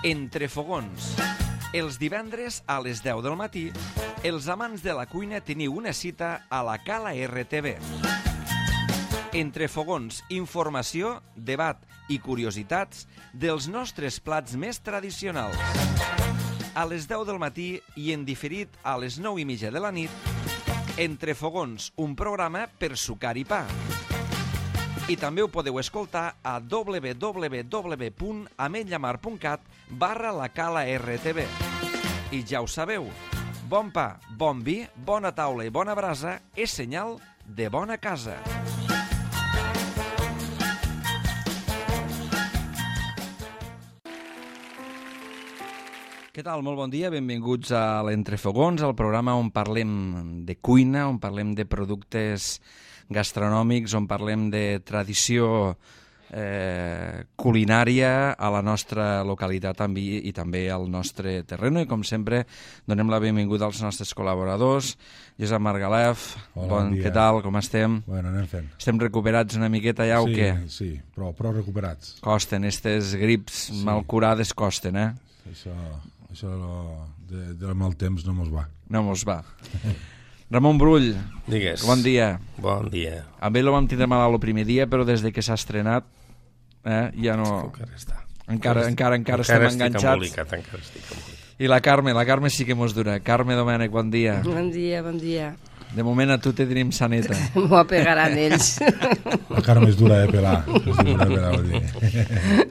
Entre fogons. Els divendres a les 10 del matí, els amants de la cuina teniu una cita a la Cala RTV. Entre fogons, informació, debat i curiositats dels nostres plats més tradicionals. A les 10 del matí i en diferit a les 9:30 de la nit, Entre fogons, un programa per sucar i pa. I també ho podeu escoltar a www.ametlllamar.cat/la Cala RTV. I ja ho sabeu, bon pa, bon vi, bona taula i bona brasa és senyal de bona casa. Què tal? Molt bon dia, benvinguts a l'Entrefogons, el programa on parlem de cuina, on parlem de productes gastronòmics, on parlem de tradició culinària a la nostra localitat i també al nostre terreno. I com sempre donem la benvinguda als nostres col·laboradors. Josep Margalef, bon dia. Què tal? Com estem? Bueno, anem fent. Estem recuperats una miqueta ja o què? Sí, però recuperats. Costen, aquestes grips mal curades costen, eh? Això de mal temps no mos va. No mos va. Ramon Brull, digues. Bon dia. Bon dia. Amb ell lo vam tindre malalt el primer dia, però des de que s'ha estrenat ja no... Encara estem enganxats. Encara estic embolicat. I la Carme sí que mos dura. Carme Domènech, bon dia. Bon dia. De moment a tu te tenim saneta. M'ho apegaran ells. La Carme és dura de pelar.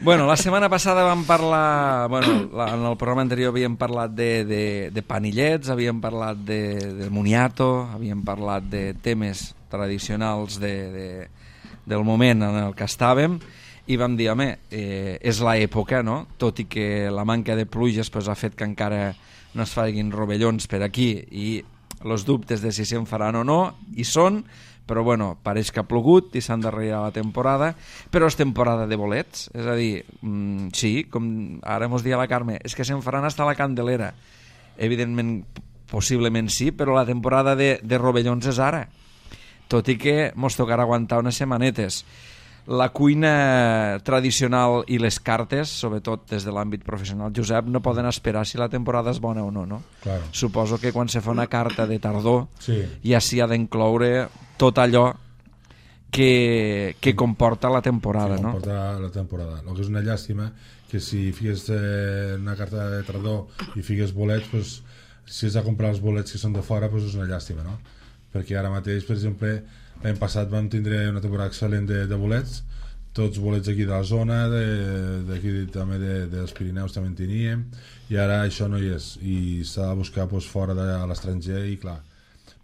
Bueno, la setmana passada vam parlar... en el programa anterior havíem parlat de panillets, havíem parlat de moniato, havíem parlat de temes tradicionals del moment en el que estàvem, i vam dir, home, és l'època, no? Tot i que la manca de pluges ha fet que encara no es facin rovellons per aquí, i els dubtes de si se'n faran o no hi són, però bueno, pareix que ha plogut i s'ha endarrerit la temporada, però és temporada de bolets, és a dir, sí, com ara mos dia la Carme, és que se'n faran hasta la Candelera. Evidentment, possiblement sí, però la temporada de rovellons és ara, tot i que mos tocarà aguantar unes setmanetes. La cuina tradicional i les cartes, sobretot des de l'àmbit professional, Josep, no poden esperar si la temporada és bona o no, no? Claro. Suposo que quan se fa una carta de tardor ja s'hi ha d'incloure tot allò que comporta la temporada, no? Comporta la temporada. El que és una llàstima que si fiques una carta de tardor i fiques bolets, pues, si has de comprar els bolets que són de fora, pues és una llàstima, no? Perquè ara mateix, per exemple, l'any passat vam tindre una temporada excel·lent de bolets, tots bolets aquí de la zona, d'aquí també dels Pirineus també en teníem, i ara això no hi és, i s'ha de buscar fora de l'estranger, i clar,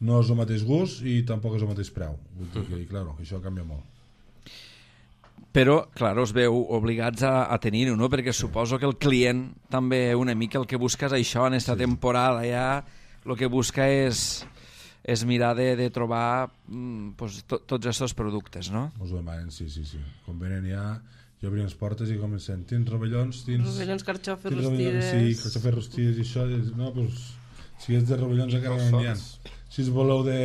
no és el mateix gust i tampoc és el mateix preu, vull dir que, clar, això canvia molt. Però, clar, us veu obligats a tenir-ho, no? Perquè suposo que el client també una mica el que busca és això, en aquesta temporada ja el que busca és mirar de trobar tots aquests productes, no? Us ho demanen, sí. Quan venen ja obrim les portes i comencen, tens rovellons, Rovellons, carxofes, rostides... Sí, carxofes, rostides i això, no, doncs, si és de rovellons encara no n'hi ha. Si es voleu de...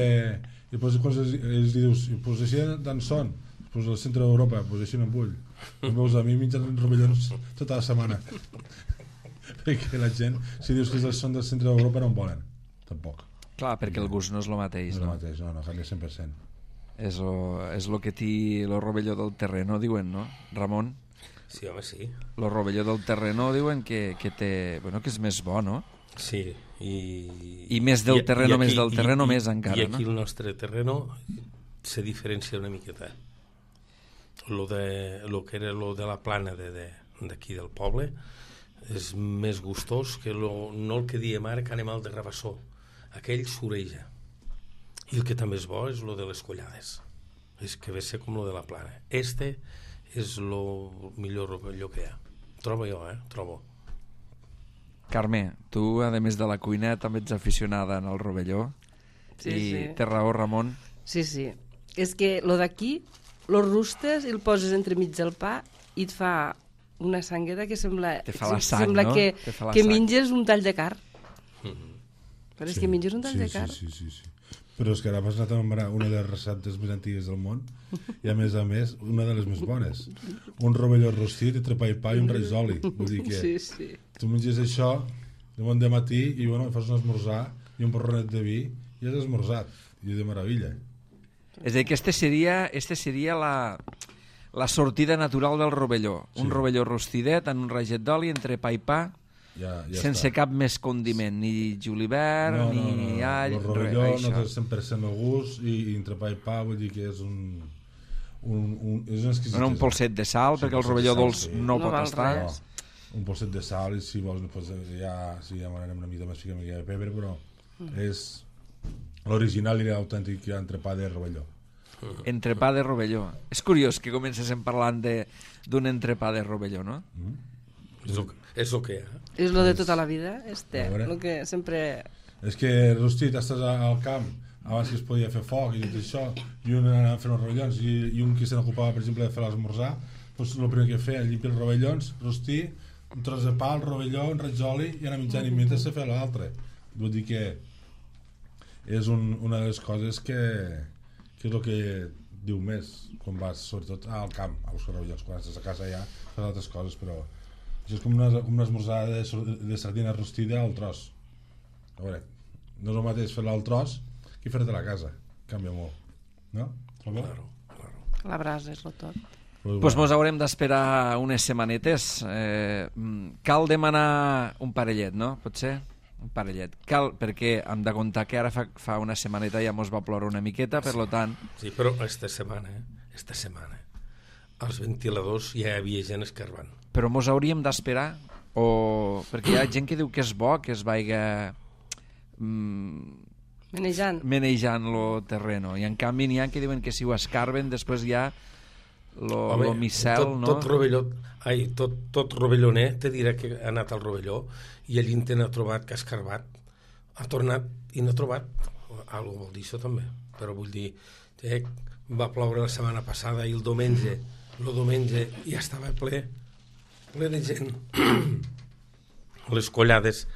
I després els dius, doncs així d'en són, doncs al centre d'Europa, doncs així no en vull. No veus, a mi mengen rovellons tota la setmana. Perquè la gent, si dius que són del centre d'Europa, no en volen, tampoc. Clar, perquè el gust no és el mateix, no? No és el mateix, no, canvia 100%. És el que té el rovelló del terreno, diuen, no, Ramon? Sí, home, sí. El rovelló del terreno diuen que té... Bueno, que és més bo, no? Sí, i més del terreno, més del terreno, més encara, no? I aquí el nostre terreno se diferencia una miqueta. Lo que era lo de la plana d'aquí del poble és més gustós que no el que diem ara, que anem al de Rabassó. Aquell s'oreja, i el que també és bo és lo de les collades, és que ve ser com lo de la plana. Este és lo millor rovelló que hi ha, trobo jo, trobo. Carme, tu a més de la cuina també ets aficionada en el rovelló, i té raó Ramon. Sí, és que lo d'aquí lo rustes i el poses entremig del pa i et fa una sangueta que sembla que menges un tall de carn. Però és que menges un tall de carn. Sí. però és que ara m'has anat a nombrar una de les receptes més antigues del món i a més, una de les més bones. Un rovelló rostit entre pa i pa i un raig d'oli. Vull dir que Sí. tu menges això de bon matí i bueno, fas un esmorzar i un porronet de vi i has esmorzat. I de meravella. És a dir, que este seria la sortida natural del rovelló. Un rovelló rostidet en un raget d'oli entre pa i pa, Ja sense està. cap més condiment, ni julivert, ni all, el rovelló res, no això. té 100% el gust i entre pa i pa vull dir que és un exquisit. Un polset de sal, perquè el rovelló dolç no No pot val estar. res. Un polset de sal i si vols pues, ja m'anem una mica més fica de pebre, però és l'original i l'autèntic entrepà de rovelló. Entrepà de rovelló. És curiós que comencéssim parlant d'un entrepà de rovelló, no? És el que hi ha. És lo de tota la vida, A veure. lo que sempre... És que rostit, estàs al camp, abans que es podia fer foc i tot això, i un anava a fer uns rovellons i un que se n'ocupava, per exemple, de fer l'esmorzar, doncs el primer que feia, llimpia els rovellons, rostir, un tros de pa, el rovelló, un raig d'oli i anar menjant i mentre se feia l'altre. Vull dir que és una de les coses que és el que diu més quan vas, sobretot, al camp, a buscar rovellons. Quan estàs a casa ja fas altres coses, però això és com una esmorzada de sardina rostida al tros. A veure, no és el mateix fer-la al tros que fer-te a la casa. Canvia molt, no? Claro. La brasa és lo tot. Doncs mos haurem d'esperar unes setmanetes. Cal demanar un parellet, no? Potser? Un parellet. Cal, perquè hem de comptar que ara fa una setmaneta ja mos va ploure una miqueta, per lo tant... Sí, però esta setmana, als ventiladors ja hi havia gent escarbant. Però mos hauríem d'esperar? O... Perquè hi ha gent que diu que és bo que es vaiga... Menejant lo terreno. I en canvi n'hi ha que diuen que si ho escarben després ja lo micel, no? Tot rovelloner te dirà que ha anat al rovelló i allí te n'ha trobat que ha escarbat, ha tornat i n'ha trobat algo vol dir això també, però vull dir va ploure la setmana passada i el diumenge ja estava ple de gent les collades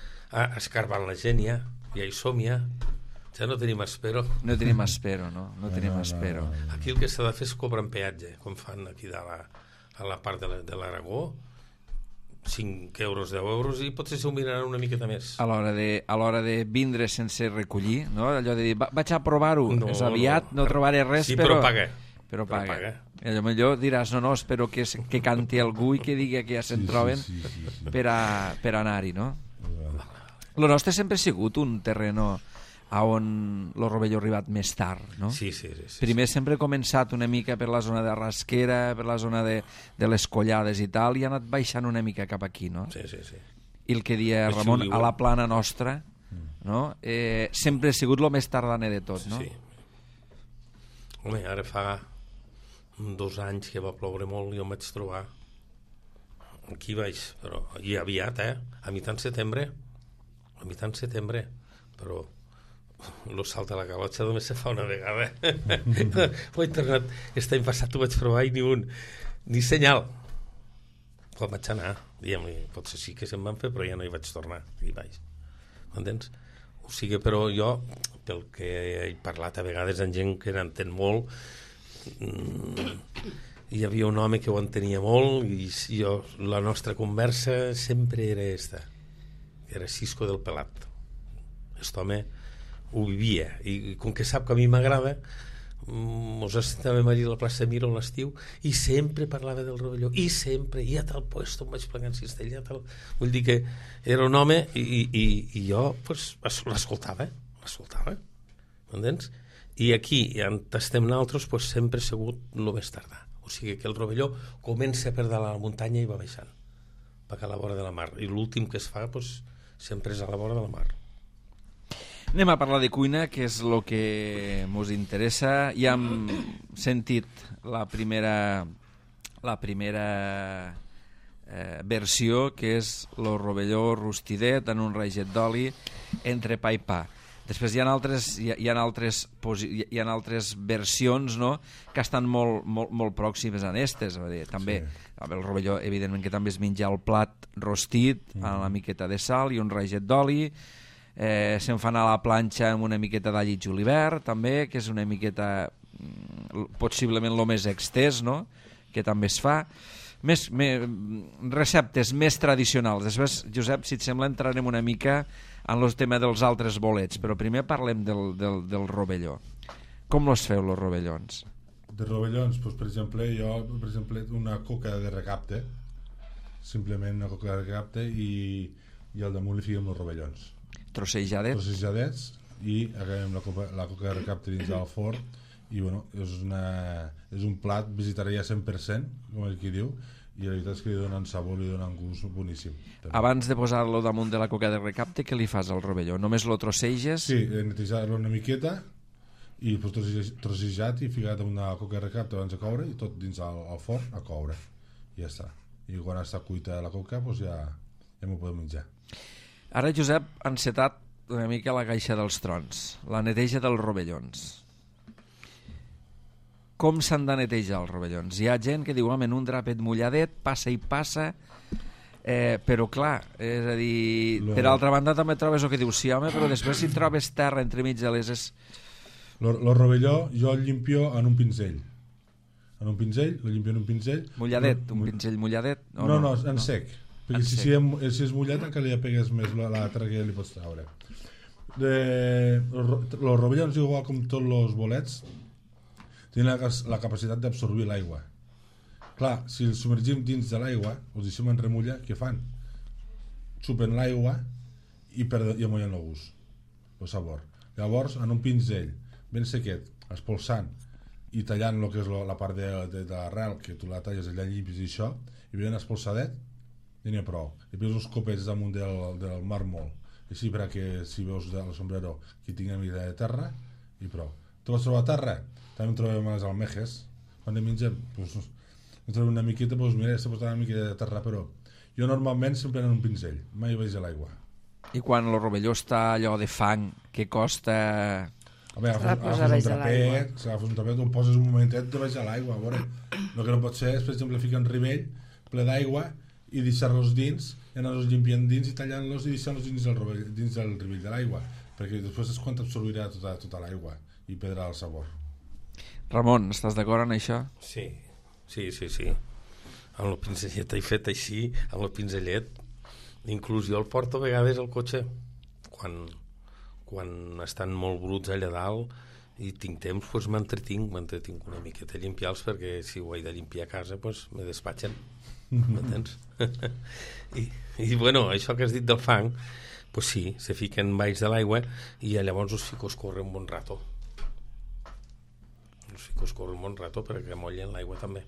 escarbant la gent ja hi som ja no tenim espero. No tenim espero, no? No tenim espero. Aquí el que s'ha de fer és cobrar en peatge, com fan aquí a la part de l'Aragó, 5 euros, 10 euros, i potser s'ho miraran una miqueta més. A l'hora de vindre sense recollir, no? Allò de dir, vaig a provar-ho, és aviat, no trobaré res, sí, però paga. Però paga. I millor diràs, no, espero que canti algú i que digui que ja se'n troben per anar-hi, no? Lo nostre sempre ha sigut un terreno on el rovelló ha arribat més tard, no? Sí. Primer sempre ha començat una mica per la zona de Rasquera, per la zona de les Collades i tal, i ha anat baixant una mica cap aquí, no? Sí. I el que dia Ramon, a la plana nostra, no? Sempre ha sigut el més tardaner de tot, no? Sí. Home, ara fa 2 anys que va ploure molt i jo em vaig trobar aquí baix, però i aviat, a mitjan setembre, però lo salt de la galotxa només se fa una vegada. Ho he tornat, aquest any passat ho vaig provar i ni senyal. Quan vaig anar, diguem-li, potser sí que se'n van fer, però ja no hi vaig tornar, aquí baix. M'entens? O sigui, però jo, pel que he parlat a vegades amb gent que n'entén molt, hi havia un home que ho entenia molt i la nostra conversa sempre era esta, que era Cisco del Pelat. Aquest home ho vivia i com que sap que a mi m'agrada mos estàvem allà a la plaça Miro a l'estiu i sempre parlava del rovelló i a tal puesto em vaig plegar en cistella vull dir que era un home i jo pues, l'escoltava m'entens? I aquí on estem nosaltres pues, sempre ha sigut el més tardà, o sigui que el rovelló comença per dalt a la muntanya i va baixant cap a la vora de la mar i l'últim que es fa pues, sempre és a la vora de la mar. Anem a parlar de cuina, que és el que mos interessa. Ja hem sentit la primera versió, que és el rovelló rostidet en un raget d'oli entre pa i pa. Després hi ha altres versions, no?, que estan molt pròximes a aquestes. També el rovelló, evidentment, que també es menja el plat rostit amb una miqueta de sal i un raget d'oli. se'n fan a la planxa amb una miqueta d'all i julivert, també, que és una miqueta possiblement el més extès, no?, que també es fa. Receptes més tradicionals. Després, Josep, si et sembla, entrarem una mica en el tema dels altres bolets, però primer parlem del rovelló. Com els feu, els rovellons? De rovellons, doncs, per exemple, una coca de recapte, simplement una coca de recapte, i al damunt li fiquem els rovellons. Trossejadets, i acabem la coca de recapte dins del forn, i bueno, és un plat vegetarià 100%, com el qui diu, i la veritat és que li donen sabor, li donen gust boníssim. També. Abans de posar-lo damunt de la coca de recapte, què li fas al rovelló? Només lo trosseges? Sí, netejar-lo una miqueta i trossejat i ficat amb una coca de recapte abans de coure, i tot dins al forn a coure, i ja està. I quan està cuita la coca, doncs ja m'ho podem menjar. Ara, Josep, ha encetat una mica la caixa dels trons, la neteja dels rovellons. Com s'han de netejar els rovellons? Hi ha gent que diu, home, en un drapet mulladet, passa i passa, però clar, és a dir, per altra banda també trobes el que dius, sí, home, però després si trobes terra entremig de les... El rovelló jo el llimpio en un pinzell. Lo llimpio en un pinzell. Mulladet, un pinzell mulladet? No, en sec. Perquè si és mullat encara li pegues més l'altre que li pots treure. Els rovellons, igual com tots els bolets, tenen la capacitat d'absorbir l'aigua. Clar, si els submergim dins de l'aigua, els deixem en remulla, què fan? Xupen l'aigua i amollen el gust, el sabor. Llavors, en un pinzell ben sequet, espolsant i tallant el que és la part de l'arrel, que tu la talles allà llimpis i això, i ben espolsadet, ja n'hi ha prou. I després uns copets damunt del màrmol, així perquè si veus el sombrero que tingui una mica de terra, i prou. Tu vas trobar terra? També en trobem a les almejes. Quan ne mengem, en trobem una miqueta, mira, s'ha posat una miqueta de terra, però jo normalment sempre en un pinzell, mai vaig a l'aigua. I quan el rovelló està allò de fang, què costa... Agafes un trapet, el poses un momentet de baix a l'aigua, a veure. El que no pot ser és, per exemple, ficar un ribell ple d'aigua i deixar-los dins, i anar-los limpiant dins i tallant-los i deixant-los dins del ribell de l'aigua, perquè després és quan t'absorbirà tota l'aigua i perdrà el sabor. Ramon, estàs d'acord en això? Sí. Amb el pinzellet he fet així, amb el pinzellet. Inclús jo el porto a vegades al cotxe, quan estan molt bruts allà dalt i tinc temps, doncs m'entretinc una miqueta a limpiar-los, perquè si ho he de limpiar a casa, doncs me despatxen. M'entens? I bueno, això que has dit del fang, doncs sí, se fiquen baix de l'aigua i llavors us fico a escórrer un bon rato. Perquè mollen l'aigua també.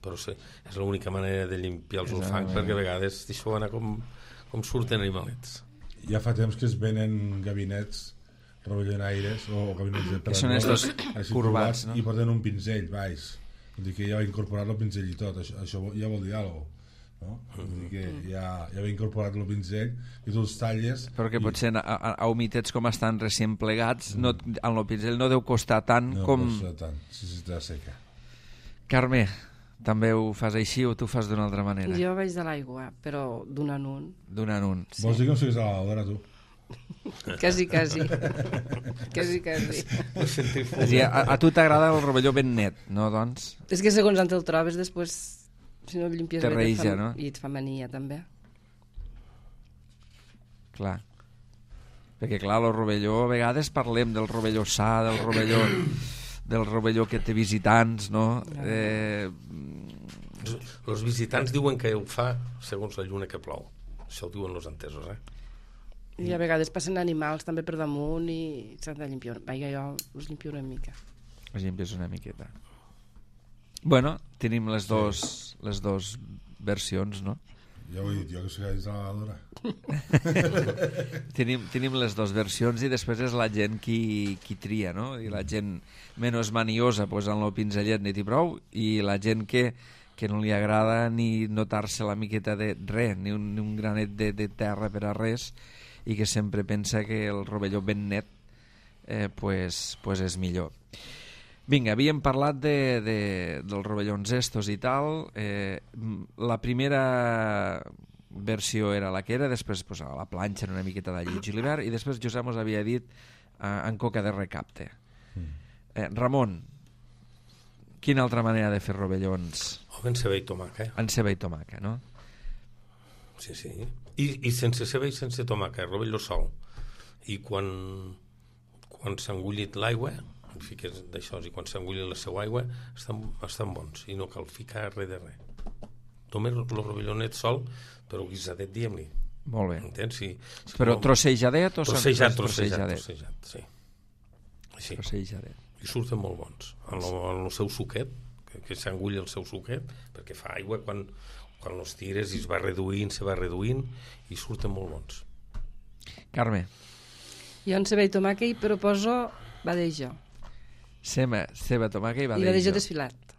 Però sí, és l'única manera de limpiar els fangs, perquè a vegades deixo anar com surten animalets. Ja fa temps que es venen gabinets rovellonaires o gabinets de que són estos curvats, no? I porten un pinzell baix. Vull dir que ja va incorporar el pinzell i tot. Això ja vol dir alguna cosa, no? Vull dir que ja va incorporat el pinzell i tu els talles. Però que potser a humitets com estan recient plegats, en el pinzell no deu costar tant com... No costa tant, si està seca. Carme, també ho fas així o tu fas d'una altra manera? Jo vaig de l'aigua, però d'un en un. D'un en un. Sí. Vols dir com si a la lavadora, tu? Quasi. A tu t'agrada el rovelló ben net, no, doncs? És que segons on te'l trobes, després, si no el llimpies bé, reïja, no? I et fa mania, també. Clar. Perquè, clar, el rovelló, a vegades parlem del rovelló sa, del rovelló que té visitants, no? Els visitants diuen que ho fa segons la lluna que plou. Això ho diuen els entesos, I a vegades passen animals també per damunt i s'han de limpiar. Vaja, jo els limpio una mica. Els limpies una miqueta. Bueno, tenim les dos versions, no? Ja ho he dit jo, que s'ha dit a la lavadora. Tenim les dues versions i després és la gent qui tria, no? I la gent menys maniosa posant el pinzellet net i prou, i la gent que no li agrada ni notar-se la miqueta de res, ni un granet de terra per a res, i que sempre pensa que el rovelló ben net pues és millor. Vinga, havíem parlat dels rovellons estos i tal. La primera versió era la que era, després pues, a la planxa una miqueta d'allí i julivert, i després Josep ens havia dit en coca de recapte. Ramon, quina altra manera de fer rovellons? En ceba i tomaca. En ceba i tomaca, no? Sí. I sense ceba i sense tomaca, rovelló sol. I quan s'ha engullit l'aigua, fiques d'això, i quan s'ha engullit la seva aigua, estan bons, i no cal ficar res de res. Només el rovellónet sol, però guisadet, diguem-li. Molt bé. Entens? Però trossejadet o trossejadet, sí. Trossejadet. I surten molt bons. En el seu suquet, que s'engulli el seu suquet, perquè fa aigua quan els tires i se va reduint, i surten molt bons. Carme. Jo en ceba i tomàquet hi proposo badejo. Ceba, tomàquet i badejo. I badejo desfilat.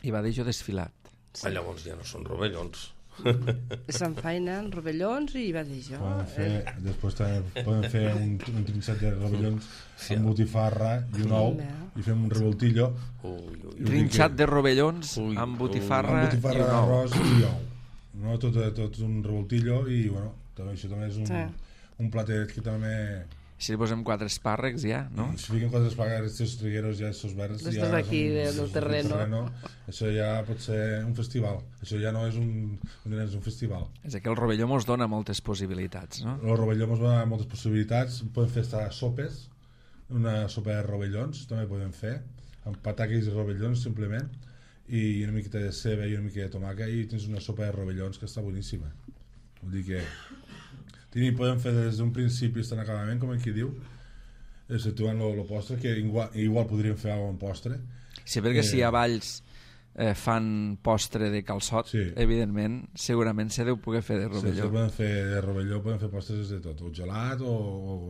I badejo desfilat. Sí. Llavors ja no són rovellons. S'enfainen rovellons i badejo. Després també podem fer un trinxat de rovellons amb botifarra i un ou, i fem un revoltillo. Trinxat de rovellons amb botifarra i un ou. Arròs i ou. No, tot un revoltillo, i bueno, això també és un platet que també... Si li posem 4 espàrrecs ja, no? Si fiquem 4 espàrrecs, aquests trigueros ja, aquests verds... Estos d'aquí, del terreno. Això ja pot ser un festival. Això ja no és un festival. És que el rovelló mos dona moltes possibilitats, no? El rovelló mos dona moltes possibilitats. Podem fer sopes, una sopa de rovellons, també podem fer, amb pataques i rovellons, simplement, i una miqueta de ceba i una miqueta de tomaca, i tens una sopa de rovellons que està boníssima. Vull dir que... podem fer des d'un principi fins a l'acabament, com qui diu, situant el postre, que igual podríem fer alguna cosa en postre. Sí, perquè si a Valls fan postre de calçot, evidentment, segurament se deu poder fer de rovelló. Sí, podem fer de rovelló, podem fer postres de tot, o gelat o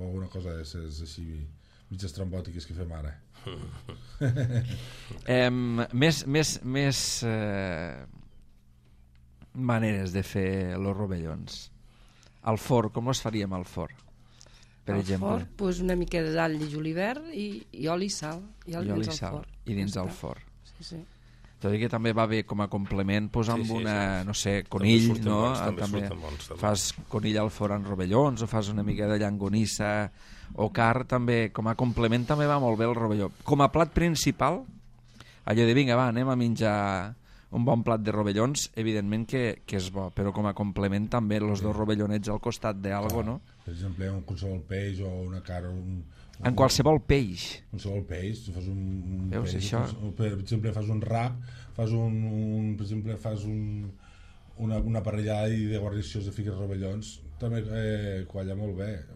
alguna cosa d'aquestes així mig estrambòtiques que fem ara. Més maneres de fer els rovellons. Al forn, com els faríem al forn? Per exemple. Al forn, doncs una mica d'all i julivert i oli i sal. I oli i sal. I dins del forn. Sí. Tot i que també va bé com a complement posar amb una, no sé, conill, no? També fas conill al forn en rovellons, o fas una mica de llangonissa o carn, també, com a complement també va molt bé el rovelló. Com a plat principal, allò de vinga, va, anem a menjar un bon plat de rovellons, evidentment que és bo, però com a complement també els dos rovellonets al costat d'algo, no? Per exemple, un qualsevol peix o una carn... En qualsevol peix? Qualsevol peix, tu fas un veus, peix, això? Per exemple, fas un rap, per exemple, fas una parrillada de guarnicions de figues rovellons, també qualla molt bé.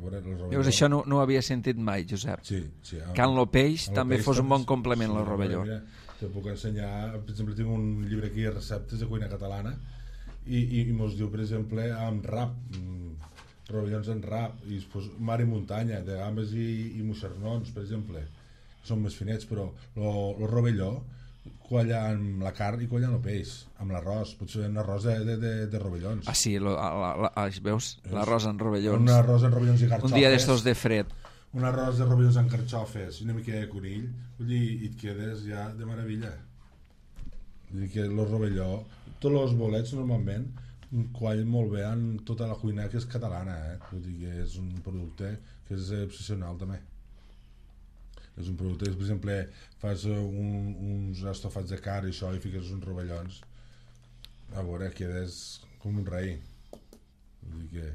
Veus, això no ho havia sentit mai, Josep. Sí. Que en el peix també fos un bon complement al rovelló. Te puc ensenyar, per exemple, tinc un llibre aquí de receptes de cuina catalana i mos diu, per exemple, amb rap, rovellons en rap, i després mar i muntanya, de gambes i moixernons, per exemple, que són més finets, però el rovelló qualla amb la carn i qualla amb el peix, amb l'arròs, potser un arròs de rovellons. Ah, sí, veus? L'arròs en rovellons. Un arròs en rovellons i carxofes. Un dia d'estos de fred. Un arròs de rovellons amb carxofes i una mica de conill, vull dir, i et quedes ja de meravella. Vull dir que el rovelló, tots els bolets normalment quallen molt bé en tota la cuina que és catalana, vull dir que és un producte que és excepcional també. És un producte que, per exemple, fas uns estofats de carn i això, i fiques uns rovellons, a veure, quedes com un rei. Vull dir que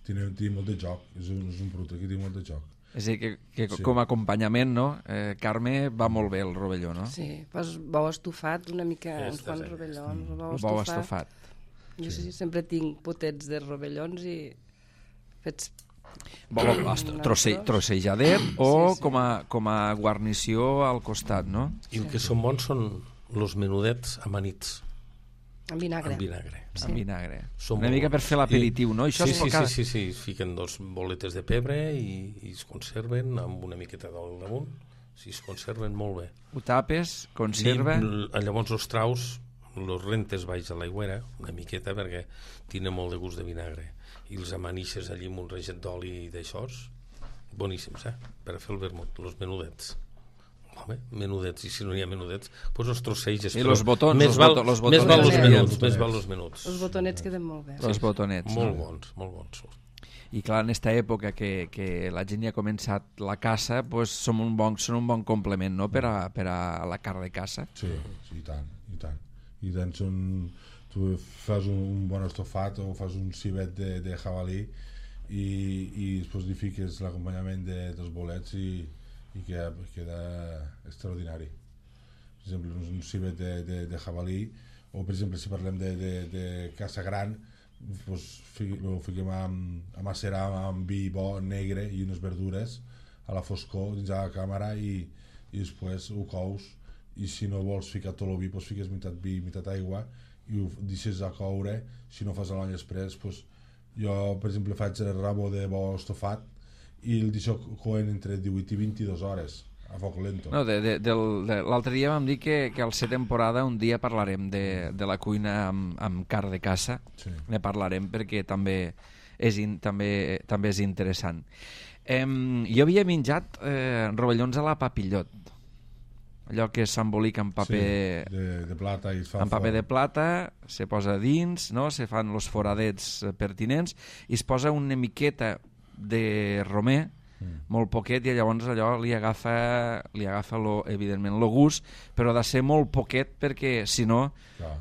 té molt de joc, és un producte que té molt de joc. És a dir, que com a acompanyament, no? Carme, va molt bé el rovelló, no? Sí, fas bou estofat, una mica uns quants rovellons, bou estofat. Jo sempre tinc potets de rovellons i fets... Trossejadet o com a guarnició al costat, no? I el que són bons són els menudets amanits. Amb vinagre. Amb vinagre. Una mica per fer l'aperitiu, no? Sí, es fiquen 2 boletes de pebre i es conserven amb una miqueta d'oli damunt. Es conserven molt bé. Ho tapes, conserva... Llavors els traus, els rentes baix a l'aigüera, una miqueta, perquè tenen molt de gust de vinagre. I els amanixes allí amb un reget d'oli d'aixòs, boníssims, per fer el vermut, els menudets. Home, menudets, i si no hi ha menudets, doncs els trosseges. I els botons, més val els els menuts, Els més val els menuts. Els botonets queden molt bé. Els botonets. Molt no? bons, molt bons. I clar, en aquesta època que la gent ja ha començat la caça, pues, són un bon complement, no?, per a la carn de caça. Sí, i tant, i tant. I tens tu fas un bon estofat o fas un civet de jabalí i després li fiques l'acompanyament dels bolets i queda extraordinari. Per exemple, un civet de jabalí, o per exemple si parlem de caça gran, doncs ho fiquem a macerar amb vi bo negre i unes verdures a la foscor dins de la càmera i després ho cous, i si no vols ficar tot el vi, doncs fiques meitat vi, meitat aigua i ho deixes a coure. Si no fas l'any després, doncs jo per exemple faig el rabo de bo estofat i el deixo coent entre 18 i 22 hores a foc lento. No, l'altre dia vam dir que al ser temporada un dia parlarem de la cuina amb carn de caça. Sí. Ne parlarem perquè també és interessant. Jo havia menjat rovellons a la papillot, allò que s'embolica en paper, sí, de plata i es fa en paper de plata, se posa dins, no? Se fan els foradets pertinents i es posa una miqueta de romer, molt poquet, i llavors allò li agafa evidentment el gust, però ha de ser molt poquet perquè si no,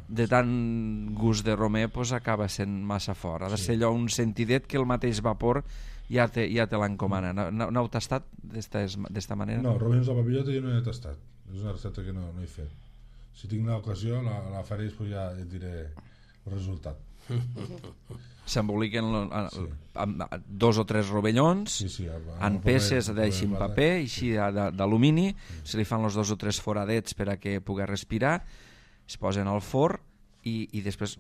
de tant gust de romer pues, acaba sent massa fort. Ha de ser allò un sentidet que el mateix vapor ja te l'encomana. No heu tastat d'esta manera? No, rovellons de papillota jo no he tastat, és una recepta que no he fet. Si tinc l'ocasió la faré i després ja et diré el resultat. S'emboliquen amb 2 o 3 rovellons en peces d'així en paper, així d'alumini, se li fan els 2 o 3 foradets per a que pugui respirar, es posen al forn i després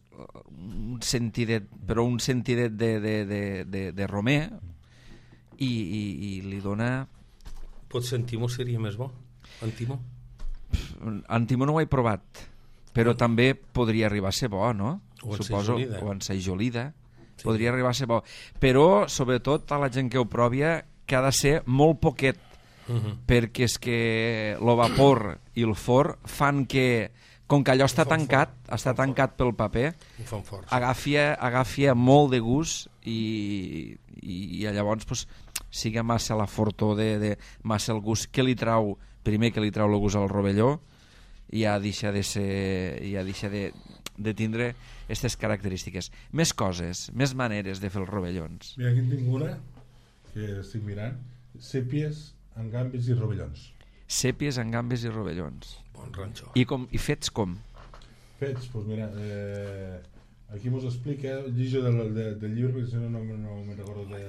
un sentidet de romer i li dona... Potser en Timo seria més bo? En Timo? En Timo no ho he provat, però també podria arribar a ser bo, no? O en suposo, sajolida. o en sajolida. Sí. Podria arribar a ser bo. Però, sobretot, a la gent que ho provi, que ha de ser molt poquet, perquè és que el vapor i el forn fan que, com que allò està tancat pel paper, agafi molt de gust i llavors pues, siga massa la fortor massa el gust que li trau, primer que li trau el gust al rovelló, i ja deixa de tindre aquestes característiques. Més coses, més maneres de fer els rovellons. Mira, aquí en tinc una que estic mirant: sèpies amb gambes i rovellons. Sèpies amb gambes i rovellons. Bon ranxo. I fets com? Fets, doncs mira, aquí mos explica, lligo del llibre, perquè si no me'n recordo de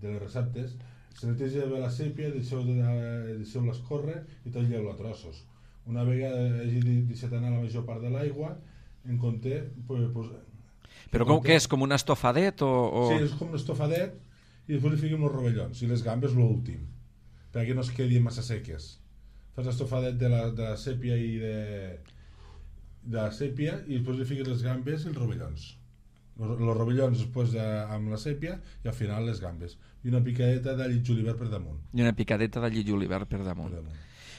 les receptes. Se neteja bé la sèpia, deixeu-la escórrer i talleu-la a trossos. Una vegada hagi deixat anar la major part de l'aigua, en compte... Però com que és? Com un estofadet? Sí, és com un estofadet, i després li fiquem els rovellons i les gambes l'últim, perquè no es quedi massa seques. Fas l'estofadet de la sèpia i de la sèpia i després li fiques les gambes i els rovellons. Els rovellons després amb la sèpia i al final les gambes. I una picadeta d'all i julivert per damunt. I una picadeta d'all i julivert per damunt.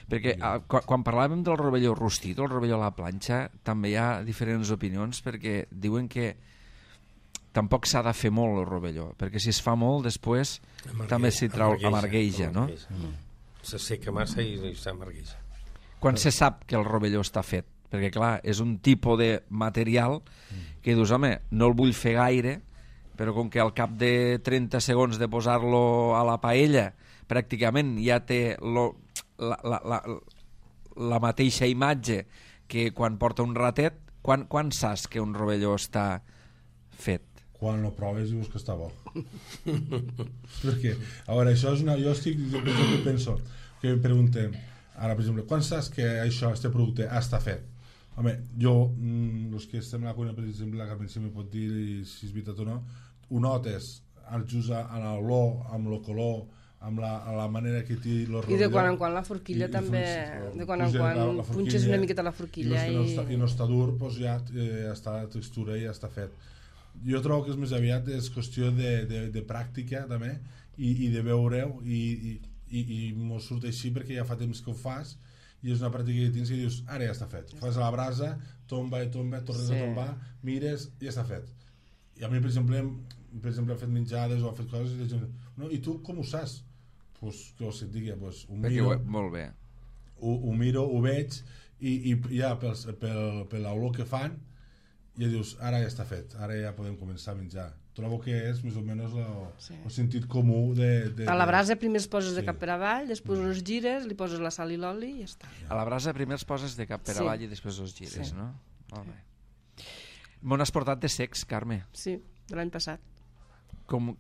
Perquè quan parlàvem del rovelló rostit o el rovelló a la planxa també hi ha diferents opinions, perquè diuen que tampoc s'ha de fer molt el rovelló, perquè si es fa molt després també s'hi trau amargueja, no? Se seca massa i s'amargueja. Quan se sap que el rovelló està fet? Perquè clar, és un tipus de material que dius, home, no el vull fer gaire, però com que al cap de 30 segons de posar-lo a la paella pràcticament ja té la mateixa imatge que quan porta un ratet, quan saps que un rovelló està fet? Quan lo proves dius que està bo. Perquè, a veure, això és jo penso que em preguntem ara, per exemple, quan saps que això, este producte està fet? Home, jo, els que estem a la cuina, per exemple, la Carmen si m'ho pot dir si és veritat o no, ho notes just en l'olor, amb el color, amb la manera que té el rovelló. I de quan en quan la forquilla també, de quan en quan punxes una miqueta la forquilla i no està dur, doncs ja està la textura i ja està fet. Jo trobo que és més aviat és qüestió de pràctica també i de veure-ho i i mos surt així perquè ja fa temps que ho fas i és una pràctica que tens i dius, ara ja està fet, fas a la brasa, tomba, tornes a tombar, mires, ja està fet. I a mi, per exemple, he fet menjades o he fet coses i la gent, no, i tu com ho saps? Pues, que ho sé, digui, pues, ho miro, molt bé. Ho miro, ho veig i ja per l'olor que fan ja dius, ara ja està fet, ara ja podem començar a menjar. Trobo que és més o menys el sentit comú a la brasa primer es poses de cap per avall, després els gires, li poses la sal i l'oli i ja està. A la brasa primer els poses de cap per avall i després els gires, no? Molt bé. M'on has portat de secs, Carme? Sí, de l'any passat. Com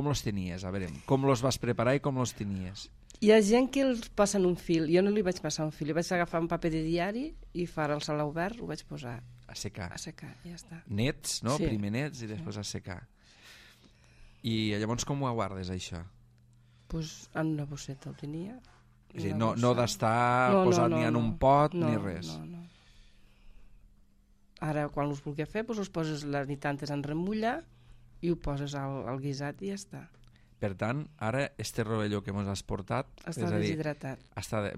los tenies? A veure, com los vas preparar i com los tenies? Hi ha gent que els passen un fil, jo no li vaig passar un fil, li vaig agafar un paper de diari i farà el sal obert, ho vaig posar a secar, ja està. Nets, no? Sí. Primer nets i després a secar. I llavors com ho guardes, això? Pues en una bosseta ho tenia. És a dir, no d'estar posat ni en un pot ni res. No. Ara, quan els vulgui fer, pues els poses la nit antes en remulla i ho poses al guisat i ja està. Per tant, ara este rovelló que ens has portat està deshidratat.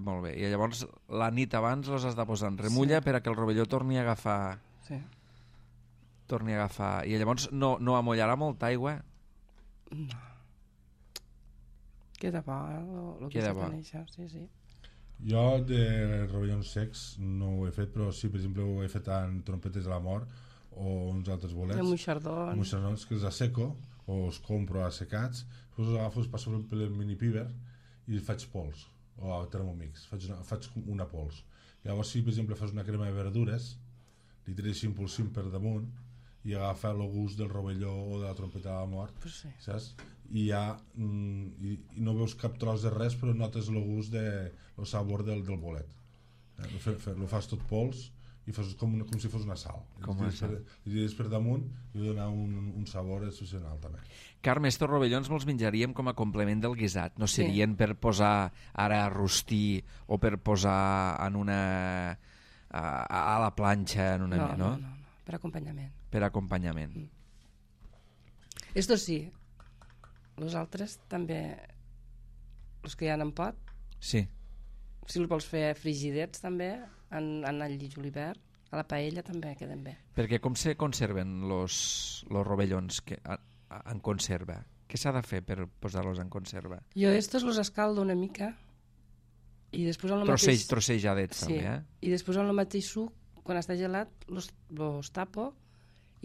Molt bé. I llavors la nit abans els has de posar en remulla per a que el rovelló torni a agafar... Sí. Torni a agafar... I llavors no amollarà molta aigua? No. Queda bo, el que s'ha de això, sí. Jo de rovellons secs no ho he fet, però sí, per exemple, ho he fet en trompetes de la mort o uns altres bolets. De moixardons. Que els asseco o els compro assecats, després els agafo, els passo per el mini piber i faig pols, o a Thermomix, faig una pols. Llavors, si per exemple fas una crema de verdures, li tires impulsim per damunt i agafa el gust del rovelló o de la trompeta de la mort, pues sí. Saps? I ja i no veus cap tros de res, però notes el gust el sabor del bolet. Lo fas tot pols i fas com si fos una sal. I tires per damunt i dona un sabor excepcional també. Carme, estos rovellons me'ls menjaríem com a complement del guisat, no serien per posar ara a rostir o per posar en una a la planxa en una no, per acompanyament. Per acompanyament. Esto sí, els altres també, els que hi ha en pot, sí. Si el vols fer frigidets també, en el lli julivert, a la paella també queden bé. Perquè com se conserven los rovellons en conserva? Què s'ha de fer per posar-los en conserva? Jo estos los escaldo una mica i després en el mateix... Trossejadets també, I després en el mateix suc, quan està gelat, los tapo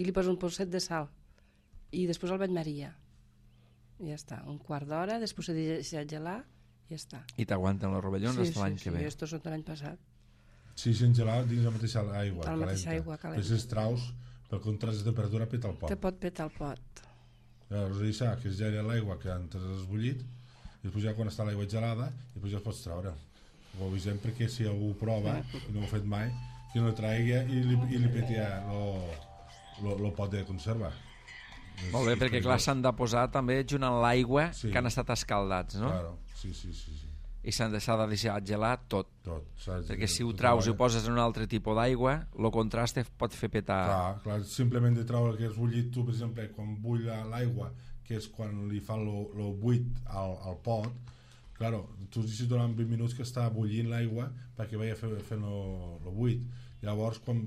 i li poso un polset de sal i després el batmaria. I ja està, un quart d'hora, després s'ha deixat gelar i ja està. I t'aguanten els rovellons fins l'any que ve. Sí, estos són de l'any passat. Sí, sin gelar dins la mateixa aigua calenta. La mateixa aigua calenta. Després traus, pel contrast de temperatura, peta el pot. Te pot petar el pot. Llavors deixar que es geli l'aigua que antes has bullit i després ja quan està l'aigua gelada i després ja el pots treure. Ho avisem perquè si algú prova i no ho ha fet mai, que no traigui i li peti el pot de conserva. Molt bé, perquè clar, s'han de posar també junt amb l'aigua que han estat escaldats, no? Claro, sí. I s'ha de deixar gelat tot. Perquè si ho traus i ho poses en un altre tipus d'aigua, el contrast pot fer petar. Clar, simplement de treure que has bullit tu, per exemple, quan bull l'aigua, que és quan li fa el buit al pot, claro, tu deixes durant 20 minuts que està bullint l'aigua perquè vagi fent el buit. Llavors, quan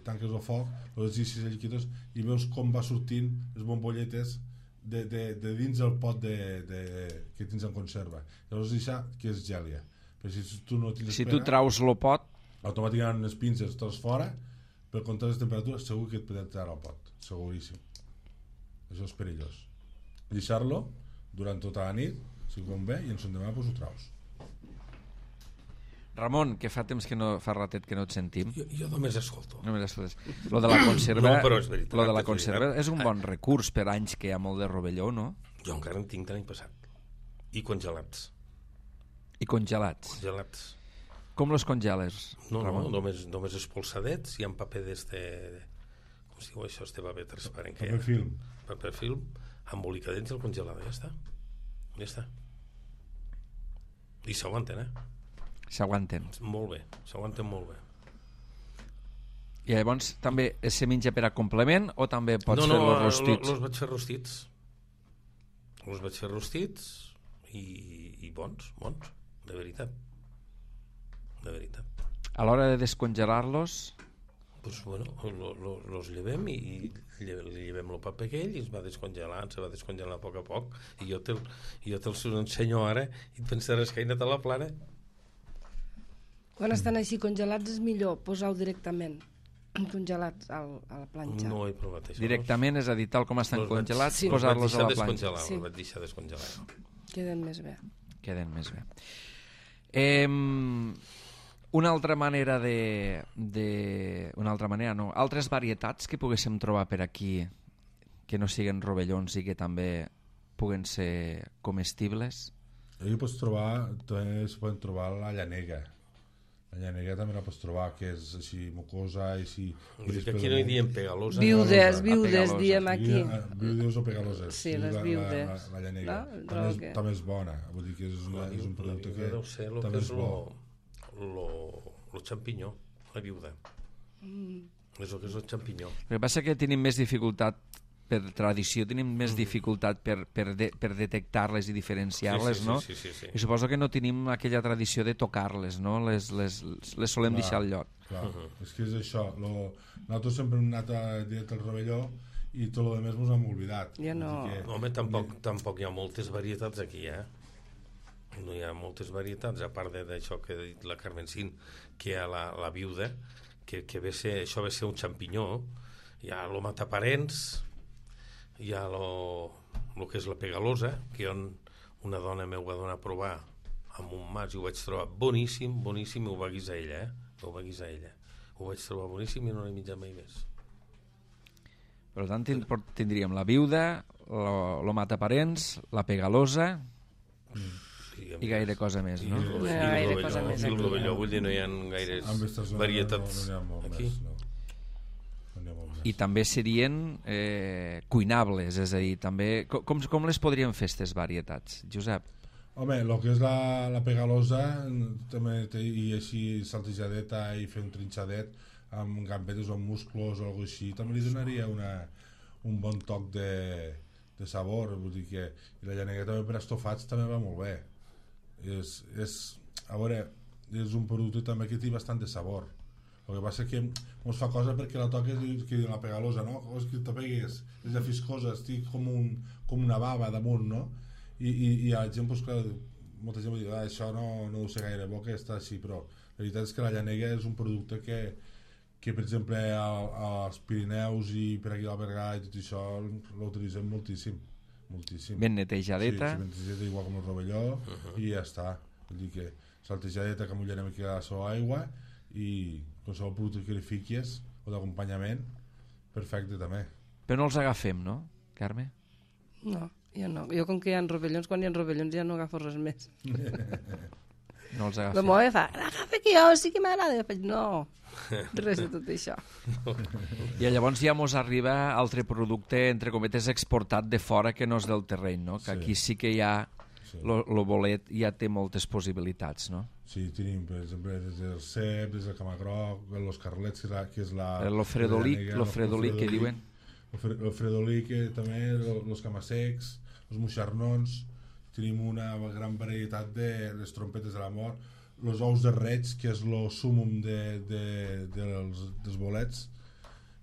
tanques el foc, els deixes els lliquidos i veus com va sortint les bombolletes de dins el pot que tens en conserva. Llavors deixa que es gelia. Però si tu no tens si tu traus el pot, automàticament les pinces tots fora, per contrast de temperatura segur que et petarà el pot, seguríssim. Això és perillós. Deixar-lo durant tota la nit, si convé, i en son demà ho traus. Ramon, que fa temps que no fa ratet que no et sentim. Jo només escolto. Només escoltes. Lo de la conserva, no, però és veritat. Lo de la conserva és un bon recurs per anys que hi ha molt de rovelló, no? Jo encara en tinc de l'any passat. I congelats. I congelats. Congelats. Com los congeles, Ramon? No, només espolsadets i en paper d'este... Com es diu això, este paper transparent? Paper film. Paper film, embolicadets i el congelat, ja està. I s'aguanten, S'aguanten. Molt bé, s'aguanten molt bé. I llavors també se menja per a complement o també pots fer-los rostits? No, els vaig fer rostits. Els vaig fer rostits i bons, de veritat. De veritat. A l'hora de descongelar-los, Pues bueno, los llevem i li llevem el paper aquell i es va descongelant a poc a poc, i jo te'ls ensenyo ara i et pensaràs que he anat a la plana. Quan estan així congelats és millor posar-ho directament congelats a la planxa. No he provat això. directament, és a dir, tal com estan congelats, Sí. posar-los a la planxa. Sí. Els vaig deixar descongelar. Queden més bé. Queden més bé. Una altra manera altres varietats que poguéssim trobar per aquí que no siguin rovellons i que també puguen ser comestibles. Aquí també es poden trobar la llanega. La llanega també la pots trobar, que és així mucosa i així... Aquí no hi diem pegalosa. Viudes, pegalosa. diem aquí. Viudes o pegaloses. Sí, les viudes. La llanega. No? També és bona. Vull dir que és un producte que deu ser el també que és és bo. el xampinyó, la viuda. És el que és el xampinyó. El que passa és que tenim més dificultat per tradició, tenim més dificultat per detectar-les i diferenciar-les, Sí. no? Sí. I suposo que no tenim aquella tradició de tocar-les, no? Les solem deixar al lloc. Clar, és que és això. Nosaltres sempre hem anat directe al rovelló i tot el més ens hem oblidat. Ja no. Home, tampoc hi ha moltes varietats aquí, No hi ha moltes varietats, a part d'això que ha dit la Carmencín, que hi ha la viuda, que això ve ser un xampinyó, hi ha el mataparents, hi ha el que és la pegalosa, que una dona m'ho va donar a provar amb un mas i ho vaig trobar boníssim, i ho va guisar ella, Ho vaig trobar boníssim i no l'he menjat mai més. Per tant, tindríem la viuda, lo mataparents, la pegalosa i gaire cosa més, no? Gaire cosa més I el aquí. rovelló, vull dir, no hi ha gaires En aquestes zones varietats no n'hi ha molt aquí. més, no. No n'hi ha molt més. I també serien cuinables, és a dir, també... Com les podríem fer, aquestes varietats, Josep? Home, el que és la pegalosa també i així saltejadeta i fer un trinxadet amb gambetes o amb musclos o alguna així, també li donaria un bon toc de sabor. Vull dir que la llanega també per estofats també va molt bé. A veure, és un producte també que té bastant de sabor. El que passa que ens fa cosa perquè la toques que la pegalosa, no? És que te pegues, és de fiscosa, estic com una bava damunt, no? I la gent, doncs clar, molta gent diu, això no deu ser gaire bo que està així, però la veritat és que la llanega és un producte que per exemple als Pirineus i per aquí al Berguedà i tot això l'utilitzem moltíssim. Ben netejadeta. Sí, ben netejadeta igual com el rovelló i ja està. Vull dir que saltejadeta que mullarem aquí a la seva aigua i qualsevol producte que li fiquis o d'acompanyament, perfecte també. Però no els agafem, no, Carme? No, jo no. Jo com que hi ha rovellons, quan hi ha rovellons ja no agafo res més. No els La agafem. meva fa, agafa que jo sí que m'agrada. Jo faig, no, res de tot això. I llavors ja mos arriba altre producte, entre cometes, exportat de fora que no és del terreny, no? Que aquí sí que ja lo bolet ja té moltes possibilitats, no? Sí, tenim, per exemple, des del cep, des del camagroc, los carlets, que és la... Lo fredolic que diuen. El fredolic, també, los camassecs, els moixarnons, tenim una gran varietat de les trompetes de la mort, els ous de reig, que és el súmum dels bolets,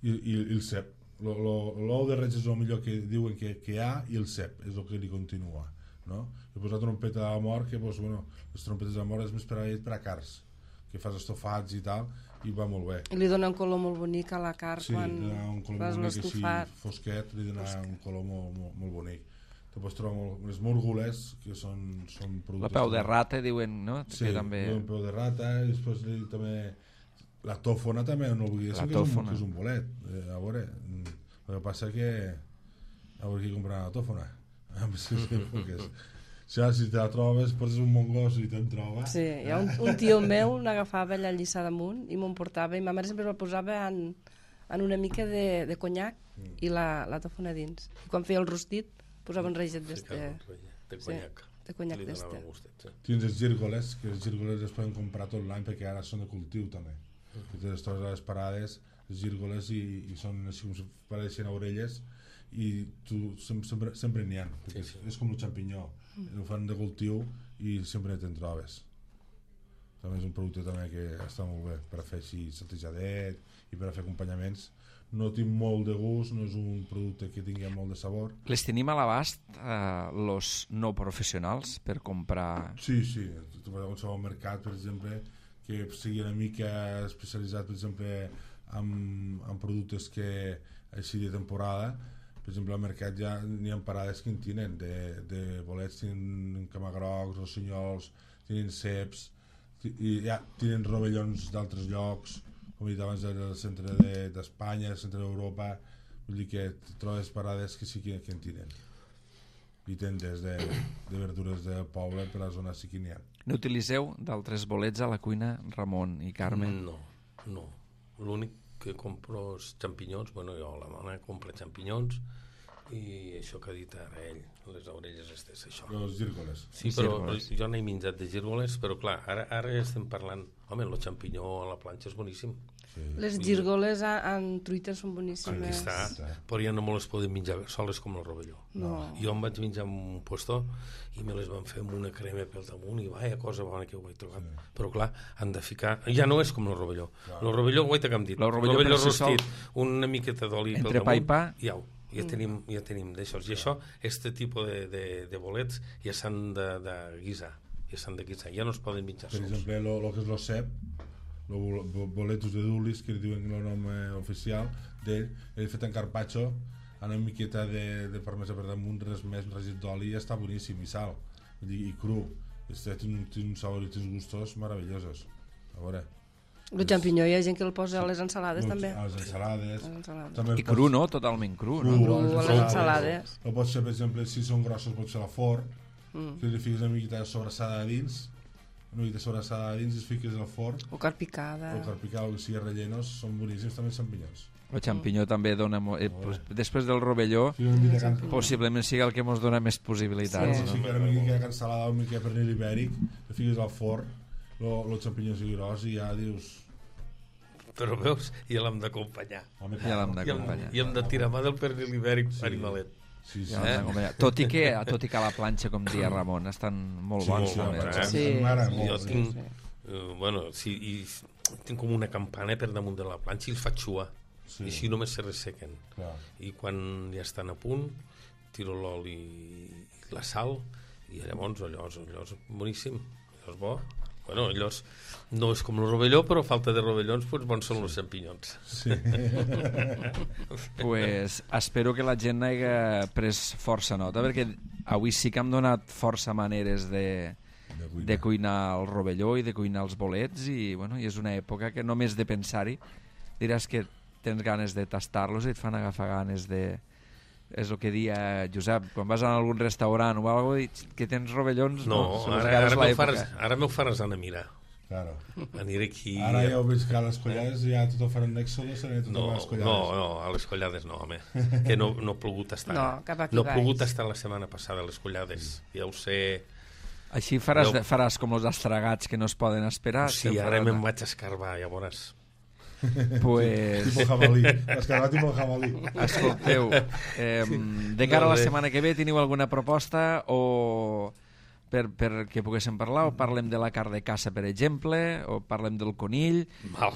i el cep. L'ou de reig és el millor que diuen que hi ha, i el cep és el que li continua, no? He posat trompeta de la mort, que doncs, bueno, les trompetes de la mort és més per a cars, que fas estofats i tal, i va molt bé. I li dona un color molt bonic a la carn Sí, quan li dona un color fas bonic així l'estofat. fosquet, li dona un color molt bonic. Te pots trobar les múrgoles, que són productes... La peu de rata, diuen, no? Sí, que també... el peu de rata, i després també... La tòfona també, no oblidéssim que és un bolet. A veure, el que passa que... A veure qui comprarà la tòfona. Si te la trobes, poses un mongos i te'n troba. Sí, hi ha un tio meu n'agafava allà al Lliçà d'Amunt i m'ho portava, i ma mare sempre la posava en una mica de conyac i la tòfona dins. I quan feia el rostit posava un reixet De conyac. de conyac Li donava d'este. gustet, sí. Tens els gírgoles, que els gírgoles es poden comprar tot l'any perquè ara són de cultiu també. Que te les trobes a les parades les gírgoles, i són així com si pareixen orelles, i tu sempre n'hi ha, perquè és com el xampinyó, ho fan de cultiu i sempre te'n trobes. També és un producte també que està molt bé per a fer així saltejadet i per a fer acompanyaments. No tinc molt de gust, no és un producte que tingui molt de sabor. Les tenim a l'abast los no professionals per comprar? Sí, tu vas a qualsevol mercat, per exemple, que sigui una mica especialitzat, per exemple, en productes que així de temporada. Per exemple, al mercat ja n'hi ha parades que en tenen de bolets, tenen camagrocs, rossinyols, tenen ceps, i ja tenen rovellons d'altres llocs, com he dit abans, del centre d'Espanya, del centre d'Europa. Vull dir que trobes parades que sí que en tenen, i tendes de verdures del poble, per la zona sí que n'hi ha. N'utilitzeu d'altres bolets a la cuina, Ramon i Carmen? No. L'únic que compro és xampinyons. Bueno, jo, la dona compra xampinyons, i això que ha dit ara ell, les orelles estes, això. Els gírgoles. Sí, però jo n'he menjat de gírgoles, però clar, ara estem parlant... Home, el xampinyó a la planxa és boníssim. Sí. Les gírgoles en truita són boníssimes. Aquí està, però ja no me les podem menjar soles com el rovelló. No. Jo em vaig menjar en un puesto i me les van fer amb una crema pel damunt, i vaja cosa bona que ho he trobat. Sí. Però clar, han de ficar... Ja no és com el rovelló. El rovelló, guaita que hem dit. El rovelló rostit, una miqueta d'oli pel damunt. Entre pa i pa. Ja tenim d'això. I això, aquest tipus de bolets ja s'han de guisar. Ja no es poden menjar sols. Per exemple, el que és el cep, els boletos de Dulis, que diuen el nom oficial d'ell, he fet en carpaccio, amb una miqueta de parmesà per damunt, res més, un regit d'oli, i està boníssim, i sal, i cru. Té un sabor i uns gustos meravellosos. A veure. El xampinyó hi ha gent que el posa a les ensalades, també. A les ensalades. I cru, no? Totalment cru. Cru a les ensalades. O pots fer, per exemple, si són grossos, pots fer a la forn, que li fiques una miqueta de sobrassada a dins, i es fiques al forn. O carn picada. O que sigui rellenos, són boníssims també els xampinyons. El xampinyó també dona... després del rovelló, possiblement sigui el que ens dona més possibilitats. Si fiques una mica de cansalada o una mica de pernil ibèric, li fiques al forn, el xampinyó sigui gros, i ja dius... Però veus, ja l'hem d'acompanyar. Ja l'hem d'acompanyar. I hem de tirar mà del pernil ibèric animalet. Sí. Tot i que a la planxa, com dia Ramon, estan molt bons. Jo tinc... Bueno, tinc com una campana per damunt de la planxa i els faig suar. I així només se ressequen. I quan ja estan a punt, tiro l'oli i la sal, i llavors allò és boníssim. Allò és bo. Bueno, allò no és com el rovelló, però a falta de rovellons, doncs bons són els xampinyons. Sí. Pues espero que la gent hagi pres força nota, perquè avui sí que hem donat força maneres de cuinar el rovelló i de cuinar els bolets, i és una època que només de pensar-hi diràs que tens ganes de tastar-los i et fan agafar ganes de... És el que dia Josep, quan vas a algun restaurant o alguna cosa, que tens rovellons... No, ara m'ho faràs anar a mirar. Claro. Aniré aquí... Ara ja ho veig que a les collades ja tot ho faran d'Èxodos, no, a les collades no, home, que no ha plogut estar. No, cap aquí no ha plogut estar la setmana passada a les collades, ja ho sé... Així faràs com els estragats que no es poden esperar? Sí, ara me'n vaig escarbar, ja veuràs. Pues... Tipo jabalí, escarbat tipo jabalí. Escolteu, de cara a la setmana que ve teniu alguna proposta o per que poguéssim parlar, o parlem de la carn de caça, per exemple, o parlem del conill,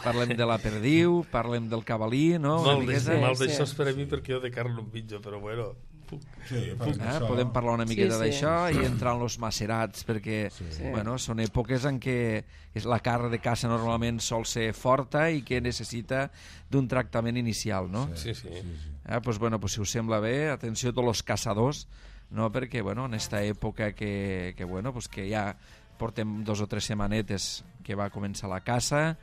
parlem de la perdiu, parlem del cavalí, no? Mal d'això és per a mi, perquè jo de carn no em menjo, però bueno... podem parlar una miqueta d'això i entrar en els macerats, perquè són èpoques en què la carn de caça normalment sol ser forta i que necessita d'un tractament inicial, no? Sí. Pues si us sembla bé, atenció a tots els caçadors, no? Perquè en esta època que ja portem 2 o 3 setmanetes que va començar la caça,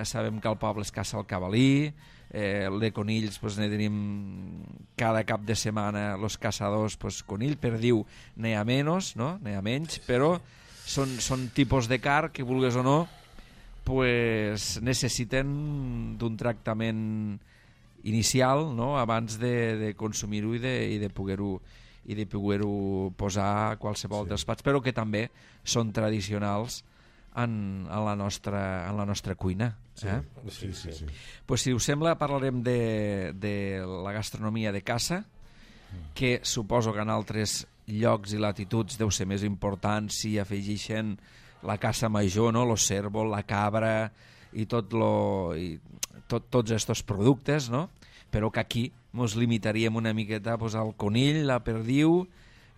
sabem que al poble es caça el cavalí, de conills ne tenim cada cap de setmana els caçadors, conill, perdiu n'hi ha menys, no? N'hi ha menys, però són tipus de carn que, vulgues o no, necessiten d'un tractament inicial, no? Abans de consumir-ho i de poder-ho posar a qualsevol dels plats, però que també són tradicionals en la nostra cuina. Sí. Pues, si us sembla, parlarem de la gastronomia de caça, que suposo que en altres llocs i latituds deu ser més important si afegeixen la caça major, no? Lo cérvol, la cabra i tots aquests productes, no? Però que aquí ens limitaríem una miqueta pues, al conill, la perdiu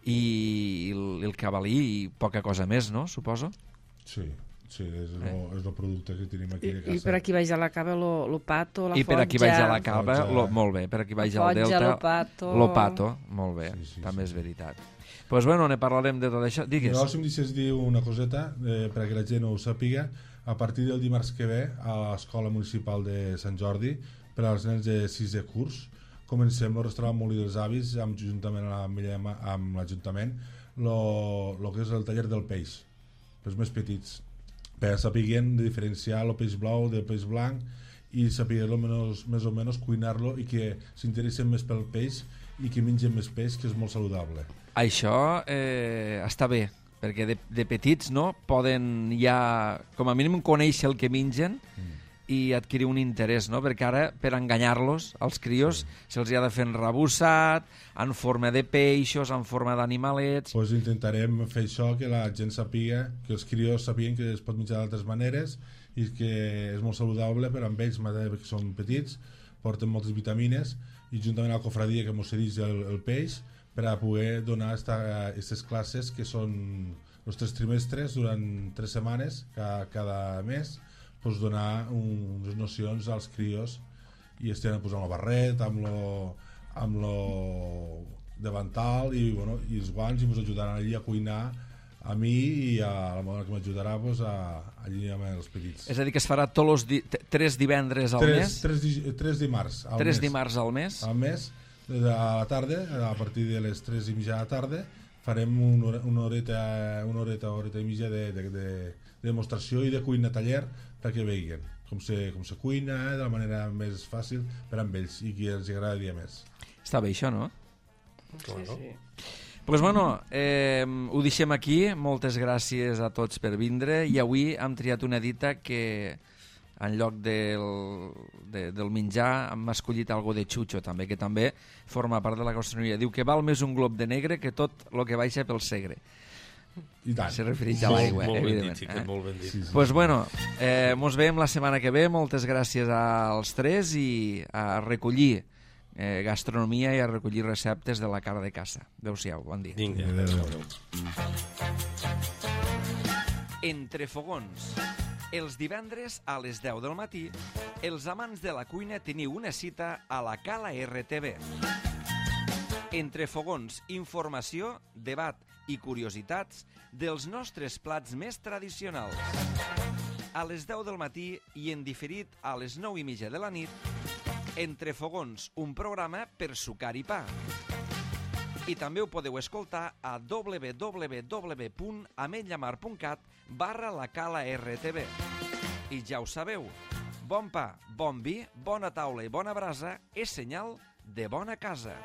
i el cavalí i poca cosa més, no? Suposo? Sí, és el producte que tenim aquí de caça. I per aquí baix a la cava lo pato, la I per aquí baix a la cava, Fotja. molt bé, per aquí baix al Fotja, delta, lo pato, molt bé, Sí, també és veritat. Pues bueno, ne parlarem de tot això. Digues. Jo, si em deixes dir una coseta, perquè la gent ho sàpiga, a partir del dimarts que ve, a l'Escola Municipal de Sant Jordi, per als nens de 6è curs, comencem el restaurant Molí dels Avis, juntament amb l'Ajuntament, el que és el taller del peix, pels més petits, per sapiguen de diferenciar el peix blau del peix blanc i sapiguer-lo més o menys cuinar-lo i que s'interessen més pel peix i que mengen més peix, que és molt saludable. Això està bé, perquè de petits no poden ja, com a mínim, conèixer el que mengen i adquirir un interès, no? Perquè ara, per enganyar-los, als crios, se'ls ha de fer enrebussat, en forma de peixos, en forma d'animalets... Pues intentarem fer això, que la gent sàpiga, que els crios sàpiguen que es pot menjar d'altres maneres i que és molt saludable per amb ells, que són petits, porten moltes vitamines, i juntament a la cofradia que mos cedeix el peix, per a poder donar aquestes classes que són els 3 trimestres durant 3 setmanes cada mes, pues donar unes nocions als crios i estem posant el barret amb lo davantal i els guants, i ens ajudaran allí a cuinar a mi i a la mare que m'ajudarà allí amb els petits. És a dir, que es farà tots els 3 divendres al mes? 3 dimarts al mes. 3 dimarts al mes? Al mes, a la tarda, a partir de les 3:30 de la tarda, farem una horeta i mitja de demostració i de cuina taller perquè veuen com se cuina de la manera més fàcil per amb ells i que els agradaria més. Està bé això, no? Sí. Pues bueno, ho deixem aquí. Moltes gràcies a tots per vindre, i avui hem triat una dita que en lloc del menjar hem escollit algo de xucho també, que també forma part de la gastronomia. Diu que val més un glob de negre que tot el que baixa pel Segre. I tant. Se refereix a l'aigua, evidentment. Molt ben dit. Pues bueno, mos veiem la setmana que ve. Moltes gràcies als 3 i a recollir gastronomia i a recollir receptes de la cara de caça. Adéu-siau, bon dia. Vinga. Entre fogons. Els divendres a les 10 del matí, els amants de la cuina teniu una cita a la Cala RTV. Entre fogons, informació, debat i curiositats dels nostres plats més tradicionals. A les 10 del matí i en diferit a les 9:30 de la nit, Entre fogons, un programa per sucar i pa. I també ho podeu escoltar a www.ametlllamar.cat/la Cala RTV. I ja ho sabeu, bon pa, bon vi, bona taula i bona brasa és senyal de bona casa.